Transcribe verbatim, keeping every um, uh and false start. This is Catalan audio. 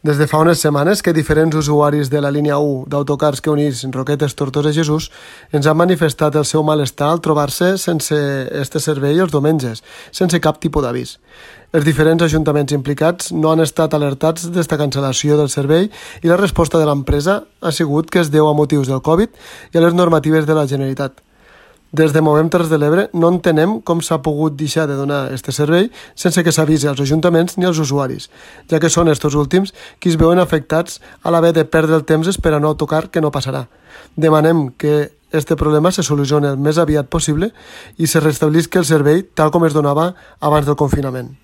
Des de fa unes setmanes que diferents usuaris de la línia u d'autocars que unís Roquetes, Tortosa i Jesús ens han manifestat el seu malestar al trobar-se sense este servei els diumenges, sense cap tipus d'avís. Els diferents ajuntaments implicats no han estat alertats d'esta cancel·lació del servei i la resposta de l'empresa ha sigut que es deu a motius del Covid i a les normatives de la Generalitat. Des de Movem Terres de l'Ebre no entenem com s'ha pogut deixar de donar aquest servei sense que s'avisi als ajuntaments ni als usuaris, ja que són estos últims qui es veuen afectats a l'haver de perdre el temps esperant un autocar que no passarà. Demanem que este problema se solucioni el més aviat possible i se restablisca el servei tal com es donava abans del confinament.